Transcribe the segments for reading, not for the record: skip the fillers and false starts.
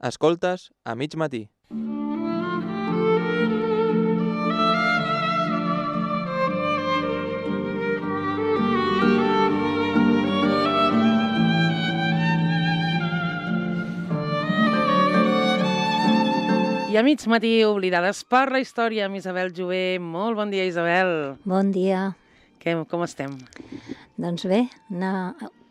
Escoltes a mig matí. I a mig matí, oblidades per la història, amb Isabel Jové. Molt bon dia, Isabel. Bon dia. Com estem? Doncs bé,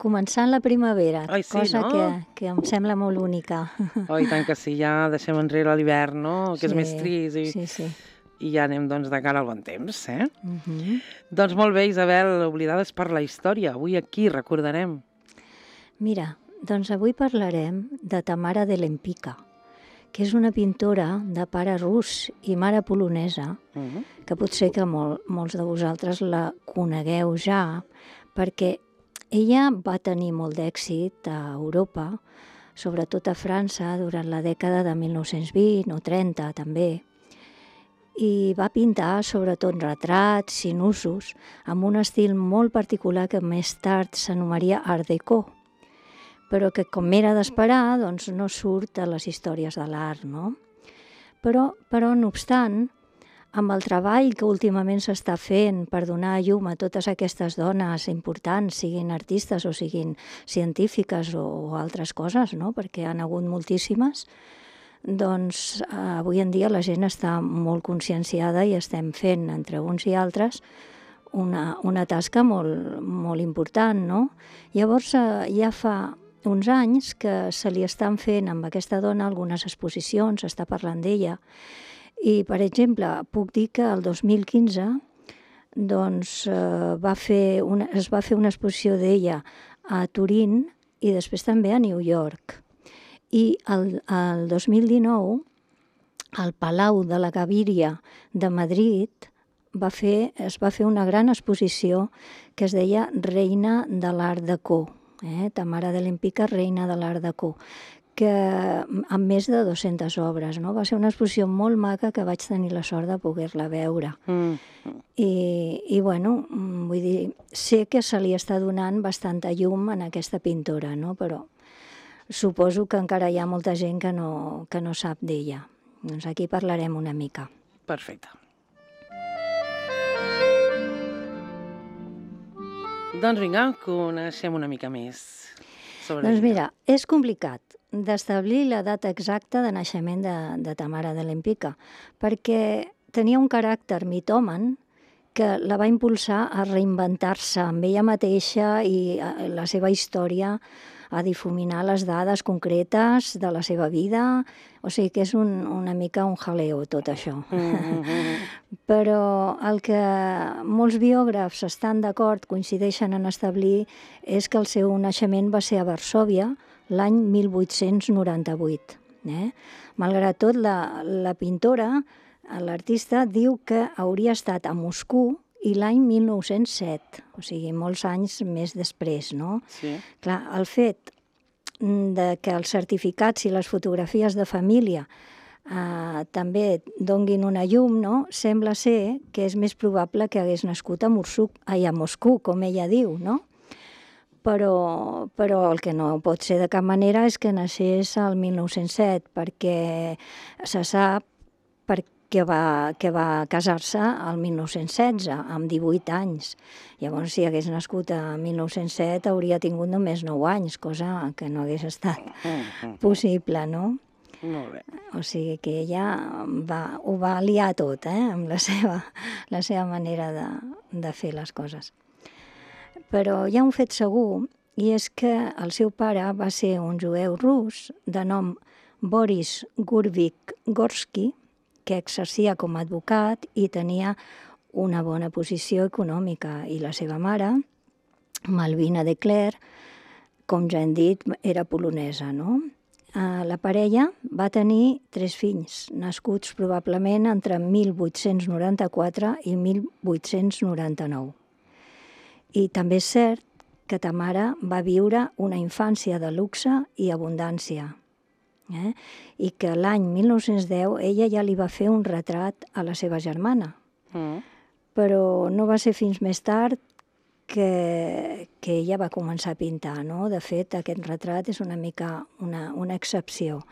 començant la primavera, Ai, sí, cosa no? que em sembla molt única. Oh, i tant que sí, ja deixem enrere l'hivern, no? Que és més trist Sí. I ja anem, doncs, de cara al bon temps, eh? Uh-huh. Doncs molt bé, Isabel, oblidades per la història. Avui aquí recordarem. Mira, doncs avui parlarem de Tamara de Lempicka, que és una pintora de pare rus i mare polonesa, que potser que molts de vosaltres la conegueu ja, perquè ella va tenir molt d'èxit a Europa, sobretot a França, durant la dècada de 1920 o 30 també, i va pintar sobretot retrats, sinusos, amb un estil molt particular que més tard s'anomenaria Art Deco, però que, com era d'esperar, doncs no surt a les històries de l'art, no? Però, no obstant, amb el treball que últimament s'està fent per donar llum a totes aquestes dones importants, siguin artistes o siguin científiques o altres coses, no? Perquè han hagut moltíssimes, doncs avui en dia la gent està molt conscienciada i estem fent, entre uns i altres, una tasca molt important, no? Llavors ja fa uns anys que se li estan fent amb aquesta dona algunes exposicions, s'està parlant d'ella, i, per exemple, puc dir que el 2015 doncs, es va fer una exposició d'ella a Turín i després també a New York. I el 2019, al Palau de la Gaviria de Madrid, es va fer una gran exposició que es deia Reina de l'Art Deco, Tamara de Lempicka, Reina de l'Art Deco, que amb més de 200 obres, no? Va ser una exposició molt maca que vaig tenir la sort de poder-la veure. I bueno, vull dir, sé que se li està donant bastanta llum en aquesta pintora, no? Però suposo que encara hi ha molta gent que no sap d'ella. Doncs aquí parlarem una mica. Perfecte. Doncs vinga, coneixem una mica més sobre Doncs ella. mira, és complicat d'establir la data exacta de naixement de Tamara de Lempicka, perquè tenia un caràcter mitòman que la va impulsar a reinventar-se amb ella mateixa i la seva història, a difuminar les dades concretes de la seva vida. O sigui que és una mica un jaleo tot això. Però el que molts biògrafs estan d'acord, coincideixen en establir, és que el seu naixement va ser a Varsòvia l'any 1898. Malgrat tot, la pintora, l'artista, diu que hauria estat a Moscou i l'any 1907, o sigui, molts anys més després, no? Sí. Clar, el fet de que els certificats i les fotografies de família també donguin una llum, no? Sembla ser que és més probable que hagués nascut a Moscou, com ella diu, no? Però el que no pot ser de cap manera és que naixés al 1907, perquè se sap que va casar-se al 1916, amb 18 anys. Llavors, si hagués nascut a 1907, hauria tingut només 9 anys, cosa que no hagués estat possible, no? Molt bé. O sigui que ella ho va liar tot, amb la seva manera de fer les coses. Però hi ha un fet segur, i és que el seu pare va ser un jueu rus de nom Boris Gurvik-Gorsky, que exercia com a advocat i tenia una bona posició econòmica. I la seva mare, Malvina de Cler, com ja hem dit, era polonesa, no? La parella va tenir 3 fills, nascuts probablement entre 1894 i 1899. I també és cert que Tamara va viure una infància de luxe i abundància, i que l'any 1910 ella ja li va fer un retrat a la seva germana. Però no va ser fins més tard que ella va començar a pintar, no? De fet, aquest retrat és una mica una excepció.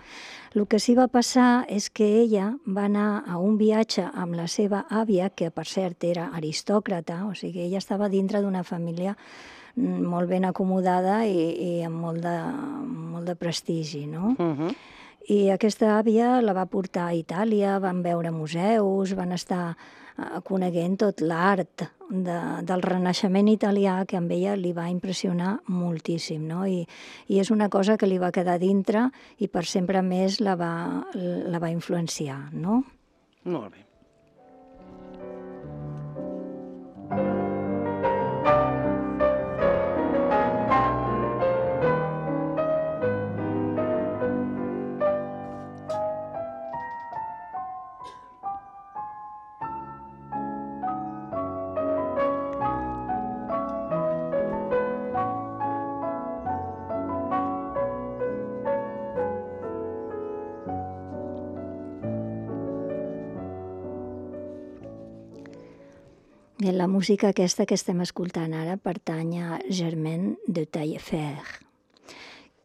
El que sí va passar és que ella va anar a un viatge amb la seva àvia, que per cert era aristòcrata, o sigui, ella estava dintre d'una família molt ben acomodada i amb molt de prestigi, no? I aquesta àvia la va portar a Itàlia, van veure museus, van estar coneguent tot l'art del Renaixement italià, que amb ella li va impressionar moltíssim, no? I és una cosa que li va quedar dintre i per sempre més la va influenciar, no? Molt bé. Bé, la música aquesta que estem escoltant ara pertany a Germaine de Taillefer,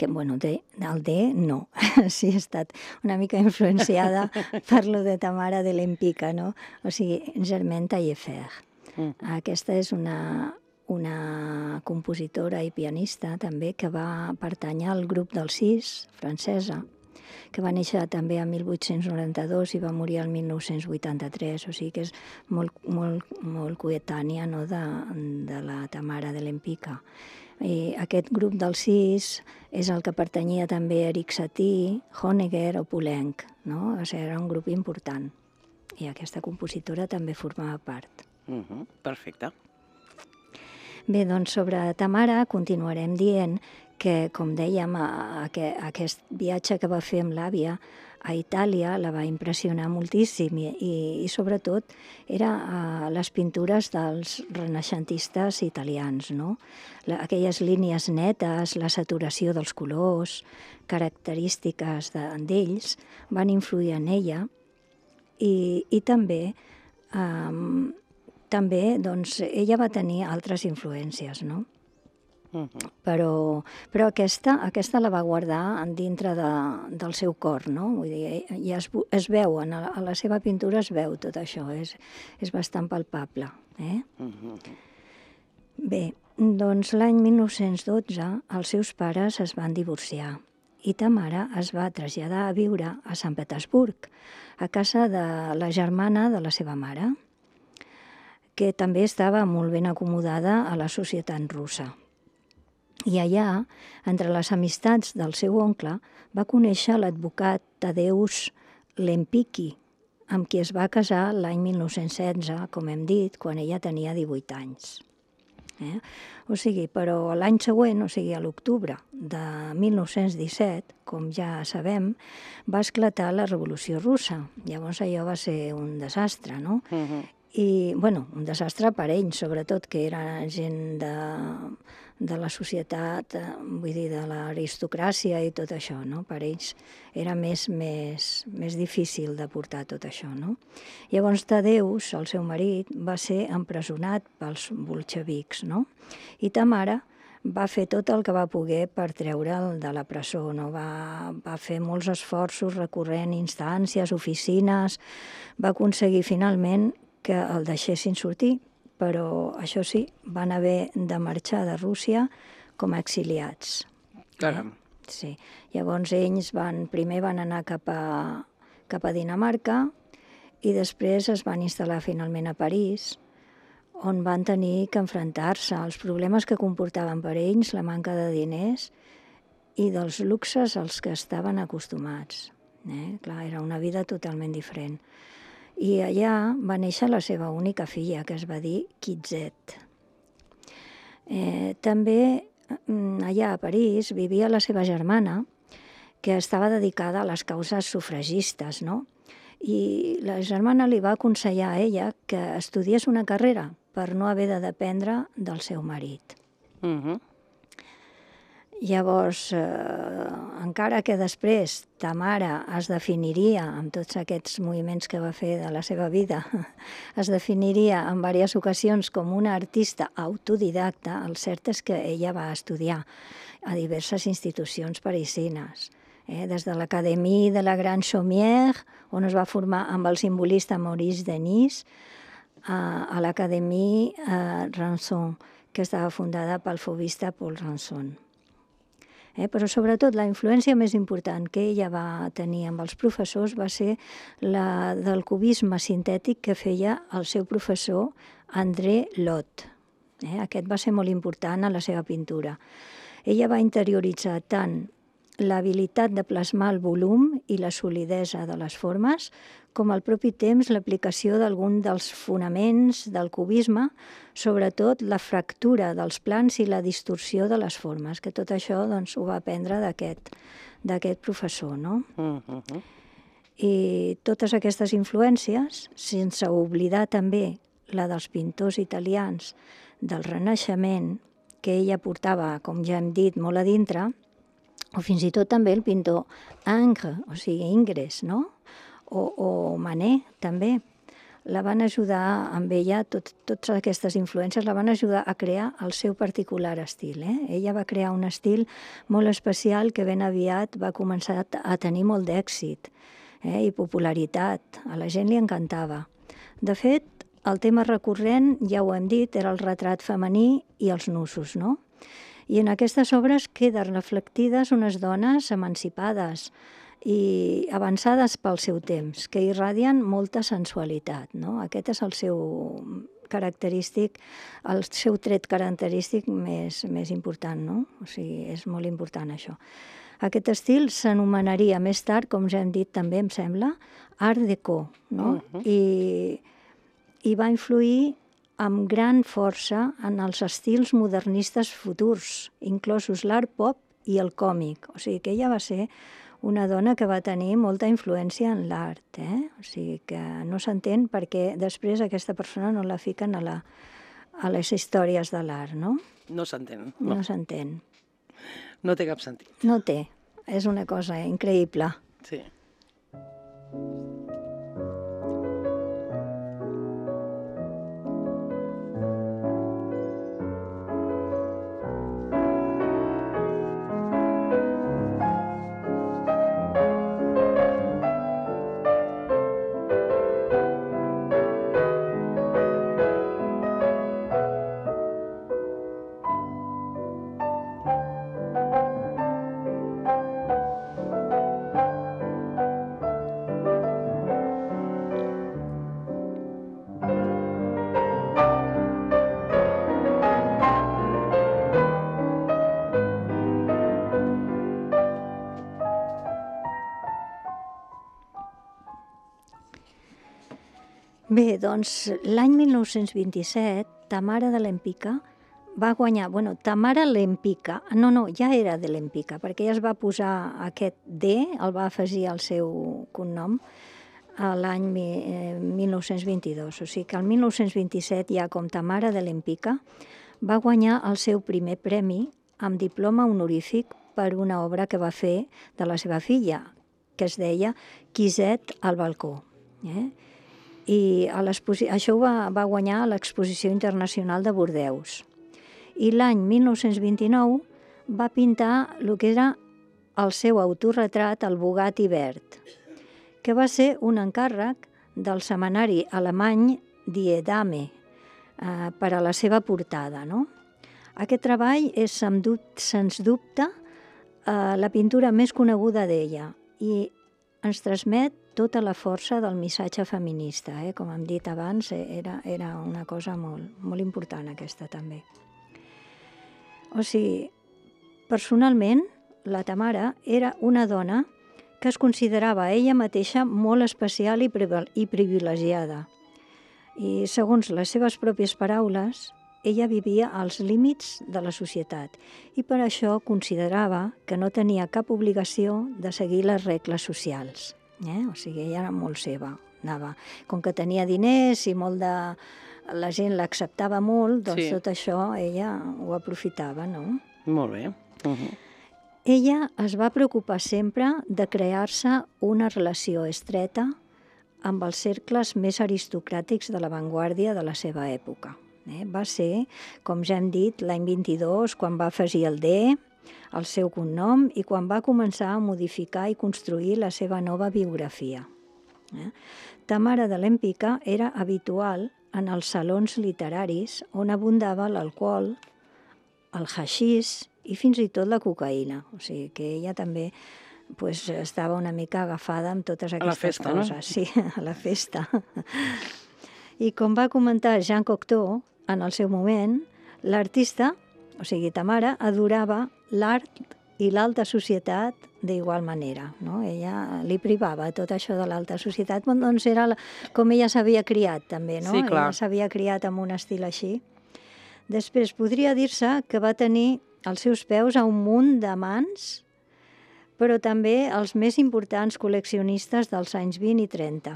que, bueno, el D no, sí ha estat una mica influenciada per lo de Tamara de l'Empika, no? O sigui, Germaine Taillefer. Aquesta és una compositora i pianista també que va pertànyer al grup dels 6, francesa, que va néixer també a 1892 i va morir el 1983, o sigui que és molt coetània, no, de la Tamara de l'Empika. I aquest grup dels 6 és el que pertanyia també a Erik Satie, Honegger o Poulenc, no? O sigui, era un grup important. I aquesta compositora també formava part. Perfecte. Bé, doncs sobre Tamara continuarem dient que, com dèiem, aquest viatge que va fer amb l'àvia a Itàlia la va impressionar moltíssim i sobretot era les pintures dels renaixentistes italians, no? Aquelles línies netes, la saturació dels colors, característiques d'ells, van influir en ella i també doncs, ella va tenir altres influències, no? Però aquesta la va guardar dintre del seu cor, no? Vull dir, ja es veu, a la seva pintura es veu tot això, és bastant palpable. Bé, doncs l'any 1912 els seus pares es van divorciar i Tamara es va traslladar a viure a Sant Petersburg, a casa de la germana de la seva mare, que també estava molt ben acomodada a la societat russa. I allà, entre les amistats del seu oncle, va conèixer l'advocat Tadeusz Lempicki, amb qui es va casar l'any 1916, com hem dit, quan ella tenia 18 anys. O sigui, però l'any següent, o sigui, a l'octubre de 1917, com ja sabem, va esclatar la Revolució Russa. Llavors allò va ser un desastre, no? I, bueno, un desastre per ells, sobretot, que era gent de la societat, vull dir, de l'aristocràcia i tot això, no? Per ells era més difícil de portar tot això, no? Llavors Tadeusz, el seu marit, va ser empresonat pels bolxevics, no? I Tamara va fer tot el que va poder per treure'l de la presó, no? Va fer molts esforços recorrent instàncies, oficines, va aconseguir finalment que el deixessin sortir, però això sí, van haver de marxar de Rússia com a exiliats. Caram. Sí. Llavors ells primer van anar cap a Dinamarca i després es van instal·lar finalment a París, on van tenir que enfrontar-se als problemes que comportaven per ells la manca de diners i dels luxes als que estaven acostumats. Clar, era una vida totalment diferent. I allà va néixer la seva única filla, que es va dir Kizet. També allà a París vivia la seva germana, que estava dedicada a les causes sufragistes, no? I la germana li va aconsellar a ella que estudiés una carrera per no haver de dependre del seu marit. Llavors, encara que després ta mare es definiria, amb tots aquests moviments que va fer de la seva vida, es definiria en diverses ocasions com una artista autodidacta, el cert és que ella va estudiar a diverses institucions parisines, des de l'Académie de la Grande Chaumière, on es va formar amb el simbolista Maurice Denis, a l'Académie Ranson, que estava fundada pel fauvista Paul Ranson. Però sobretot la influència més important que ella va tenir amb els professors va ser la del cubisme sintètic que feia el seu professor André Lot. Aquest va ser molt important a la seva pintura. Ella va interioritzar tant l'habilitat de plasmar el volum i la solidesa de les formes, com al propi temps l'aplicació d'algun dels fonaments del cubisme, sobretot la fractura dels plans i la distorsió de les formes, que tot això doncs, ho va aprendre d'aquest professor, no? I totes aquestes influències, sense oblidar també la dels pintors italians del Renaixement, que ella portava, com ja hem dit, molt a dintre, o fins i tot també el pintor Ingres, o sigui, Ingres, no? O Manet, també. La van ajudar amb ella, totes aquestes influències la van ajudar a crear el seu particular estil. Ella va crear un estil molt especial que ben aviat va començar a tenir molt d'èxit i popularitat. A la gent li encantava. De fet, el tema recurrent, ja ho hem dit, era el retrat femení i els nussos, no? I en aquestes obres queden reflectides unes dones emancipades i avançades pel seu temps, que irradien molta sensualitat, no? Aquest és el seu tret característic més important, no? O sigui, és molt important això. Aquest estil s'anomenaria més tard, com ja hem dit també, em sembla, Art Deco, no? I va influir amb gran força en els estils modernistes futurs, inclosos l'art pop i el còmic. O sigui que ella va ser una dona que va tenir molta influència en l'art. O sigui que no s'entén perquè després aquesta persona no la fiquen a les històries de l'art, no? No s'entén. No s'entén. No té cap sentit. No té. És una cosa increïble. Sí. Bé, doncs l'any 1927, Tamara de Lempicka va guanyar... Tamara Lempicka, no, ja era de Lempicka, perquè ella es va posar aquest D, el va afegir al seu cognom, l'any 1922. O sigui que el 1927, ja com Tamara de Lempicka, va guanyar el seu primer premi amb diploma honorífic per una obra que va fer de la seva filla, que es deia Quisette al balcó. I això ho va guanyar a l'Exposició Internacional de Bordeus. I l'any 1929 va pintar el que era el seu autorretrat, el Bugatti verd, que va ser un encàrrec del setmanari alemany Die Dame per a la seva portada. Aquest treball és, sens dubte, la pintura més coneguda d'ella i ens transmet tota la força del missatge feminista. Com hem dit abans, era una cosa molt important aquesta també. O sigui, personalment, la Tamara era una dona que es considerava ella mateixa molt especial i privilegiada. I segons les seves pròpies paraules, ella vivia als límits de la societat i per això considerava que no tenia cap obligació de seguir les regles socials. O sigui, ella era molt seva. Com que tenia diners i la gent l'acceptava molt, doncs tot això ella ho aprofitava, no? Molt bé. Ella es va preocupar sempre de crear-se una relació estreta amb els cercles més aristocràtics de l'avantguàrdia de la seva època. Va ser, com ja hem dit, l'any 22, quan va afegir el D, el seu cognom, i quan va començar a modificar i construir la seva nova biografia. Tamara de Lempicka era habitual en els salons literaris on abundava l'alcohol, el haixís i fins i tot la cocaïna. O sigui que ella també estava una mica agafada amb totes aquestes coses. No? Sí, a la festa. I com va comentar Jean Cocteau, en el seu moment, l'artista, o sigui, Tamara, adorava l'art i l'alta societat d'igual manera. No? Ella li privava tot això de l'alta societat, doncs era com ella s'havia criat també, no? Sí, clar. Ella s'havia criat amb un estil així. Després podria dir-se que va tenir als seus peus a un munt d'amants, però també els més importants col·leccionistes dels anys 20 i 30.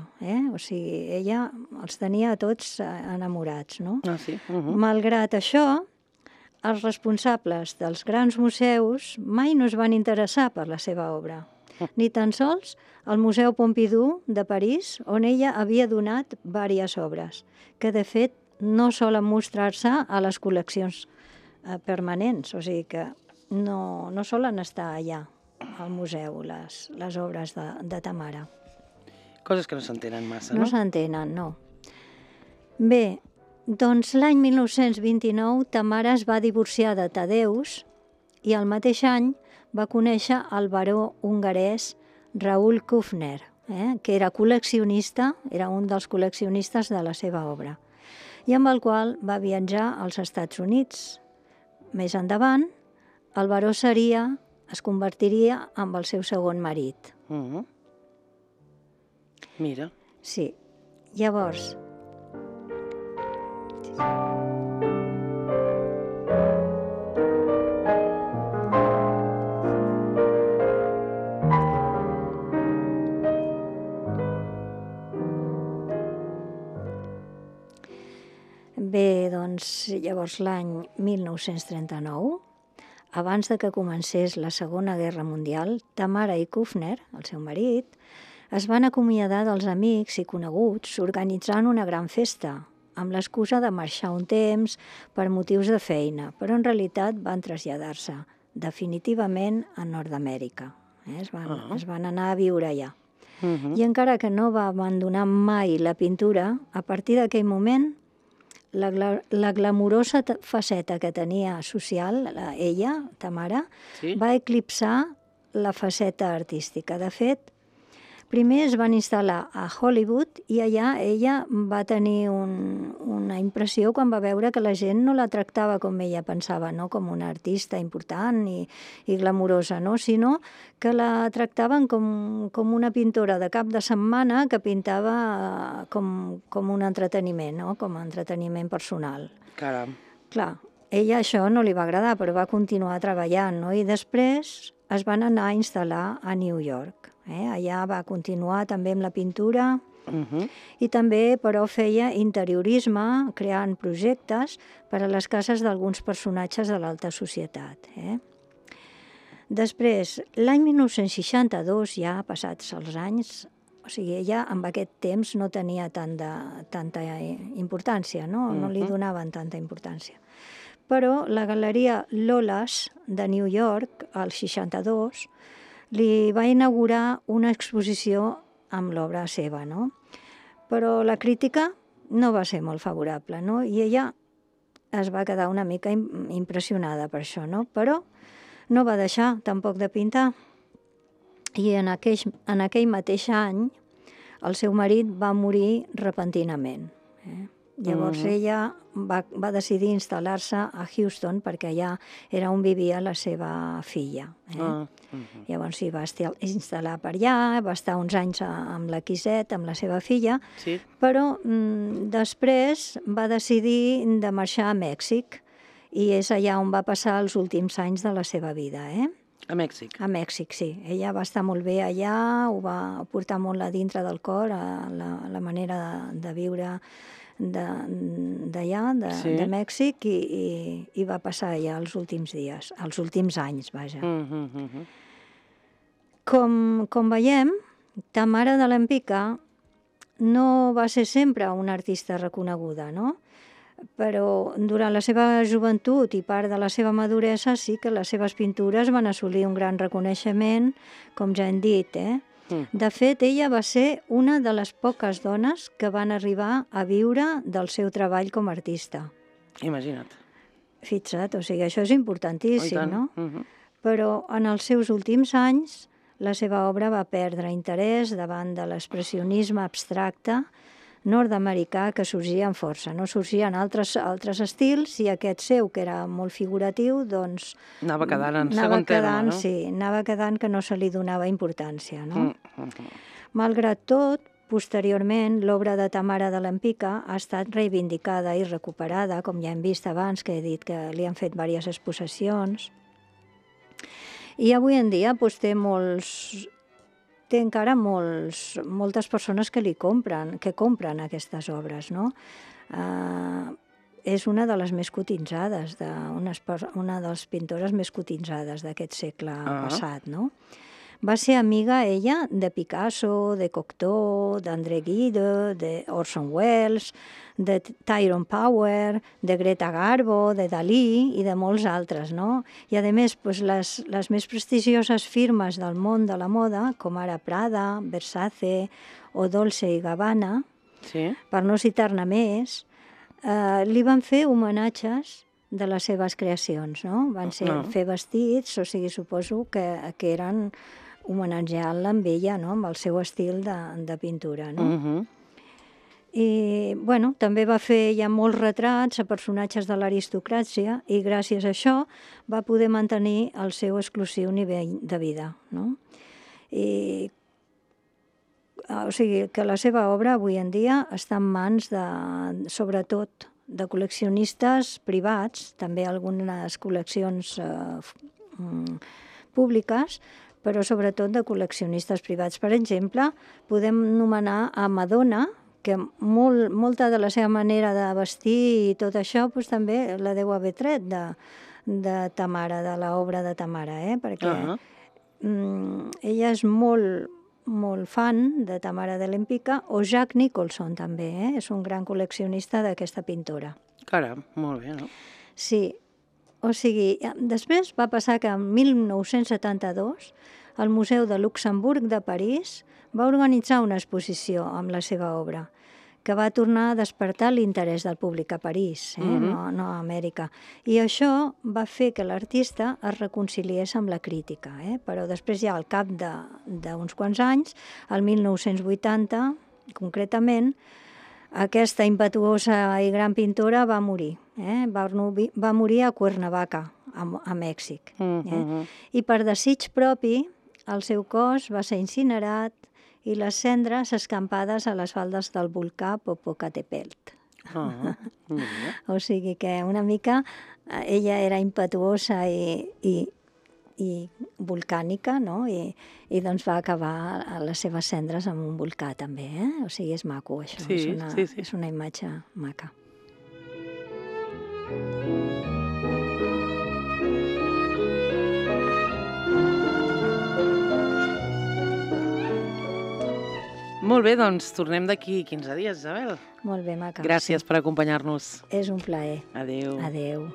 O sigui, ella els tenia a tots enamorats, no? Ah, sí? Malgrat això, els responsables dels grans museus mai no es van interessar per la seva obra, ni tan sols el Museu Pompidou de París, on ella havia donat diverses obres, que de fet no solen mostrar-se a les col·leccions permanents, o sigui que no solen estar allà al museu les obres de Tamara. Coses que no s'entenen massa, no? No s'entenen, no. Bé, doncs l'any 1929 Tamara es va divorciar de Tadeus i el mateix any va conèixer el baró hongarès Raoul Kufner, que era col·leccionista, era un dels col·leccionistes de la seva obra, i amb el qual va viatjar als Estats Units. Més endavant, el baró es convertiria en el seu segon marit. Mira. Sí. Llavors... Bé, doncs, llavors l'any 1939, abans de que comencés la Segona Guerra Mundial, Tamara i Kufner, el seu marit, es van acomiadar dels amics i coneguts organitzant una gran festa, amb l'excusa de marxar un temps per motius de feina, però en realitat van traslladar-se definitivament a Nord-Amèrica. Es van anar a viure allà. I encara que no va abandonar mai la pintura, a partir d'aquell moment la glamurosa faceta que tenia social, ella, Tamara, va eclipsar la faceta artística. De fet, primer es van instal·lar a Hollywood i allà ella va tenir una impressió quan va veure que la gent no la tractava com ella pensava, no com una artista important i glamurosa, no? Sinó que la tractaven com una pintora de cap de setmana que pintava com un entreteniment, no? Com a entreteniment personal. Caram. Clar, ella això no li va agradar, però va continuar treballant, no? I després es van anar a instal·lar a New York. Allà va continuar també amb la pintura i també, però, feia interiorisme, creant projectes per a les cases d'alguns personatges de l'alta societat. Després, l'any 1962, ja passats els anys, o sigui, ella amb aquest temps no tenia tanta importància, no li donaven tanta importància. Però la galeria Lolas de New York, al 62, li va inaugurar una exposició amb l'obra seva, no? Però la crítica no va ser molt favorable, no? I ella es va quedar una mica impressionada per això, no? Però no va deixar tampoc de pintar. I en aquell mateix any el seu marit va morir repentinament. Llavors ella va decidir instal·lar-se a Houston perquè allà era on vivia la seva filla. Llavors s'hi va instal·lar per allà, va estar uns anys amb la Quisette, amb la seva filla, però després va decidir de marxar a Mèxic i és allà on va passar els últims anys de la seva vida. A Mèxic. A Mèxic, sí. Ella va estar molt bé allà, ho va portar molt a dintre del cor, la manera de viure d'allà, de Mèxic, i va passar allà els últims dies, els últims anys, vaja. Com veiem, Tamara de Lempicka no va ser sempre una artista reconeguda, no? Però durant la seva joventut i part de la seva maduresa sí que les seves pintures van assolir un gran reconeixement, com ja hem dit. De fet, ella va ser una de les poques dones que van arribar a viure del seu treball com a artista. Imagina't. Fixa't, o sigui, això és importantíssim, no? Però en els seus últims anys la seva obra va perdre interès davant de l'expressionisme abstracte nord-americà que sorgia amb força. No sorgien altres estils i aquest seu, que era molt figuratiu, doncs... Anava quedant en segon terme, no? Sí, anava quedant que no se li donava importància, no? Malgrat tot, posteriorment, l'obra de Tamara de Lempicka ha estat reivindicada i recuperada, com ja hem vist abans, que he dit que li han fet diverses exposicions. I avui en dia doncs, té encara moltes persones que compren aquestes obres, no? És una de les més cotitzades, una de les pintores més cotitzades d'aquest segle passat, no? Va ser amiga, ella, de Picasso, de Cocteau, d'André Gide, d'Orson Welles, de Tyrone Power, de Greta Garbo, de Dalí i de molts altres, no? I, a més, les més prestigioses firmes del món de la moda, com ara Prada, Versace o Dolce & Gabbana, per no citar-ne més, li van fer homenatges de les seves creacions, no? Van fer vestits, o sigui, suposo que eren homenatjant-la amb ella, no? Amb el seu estil de pintura, no? I, bueno, també va fer ja molts retrats a personatges de l'aristocràcia i gràcies a això va poder mantenir el seu exclusiu nivell de vida, no? I, o sigui, que la seva obra avui en dia està en mans sobretot, de col·leccionistes privats, també algunes col·leccions públiques, però sobretot de col·leccionistes privats. Per exemple, podem anomenar a Madonna, que molta de la seva manera de vestir i tot això també la deu haver tret de Tamara, de l'obra de Tamara, perquè ella és molt fan de Tamara de Lempicka, o Jack Nicholson també, és un gran col·leccionista d'aquesta pintora. Caram, molt bé, no? Sí, o sigui, després va passar que en 1972 el Museu de Luxemburg de París va organitzar una exposició amb la seva obra, que va tornar a despertar l'interès del públic a París, no a Amèrica. I això va fer que l'artista es reconciliés amb la crítica, però després ja al cap d'uns quants anys, el 1980, concretament, aquesta impetuosa i gran pintora va morir. Va morir a Cuernavaca, a Mèxic. I per desig propi, el seu cos va ser incinerat i les cendres escampades a les faldes del volcà Popocatépetl. O sigui que una mica ella era impetuosa i volcànica, no? I doncs va acabar les seves cendres amb un volcà també, O sigui, és maco això, és una imatge maca. Molt bé, doncs tornem d'aquí 15 dies, Isabel. Molt bé, maca. Gràcies per acompanyar-nos. És un plaer. Adéu. Adéu.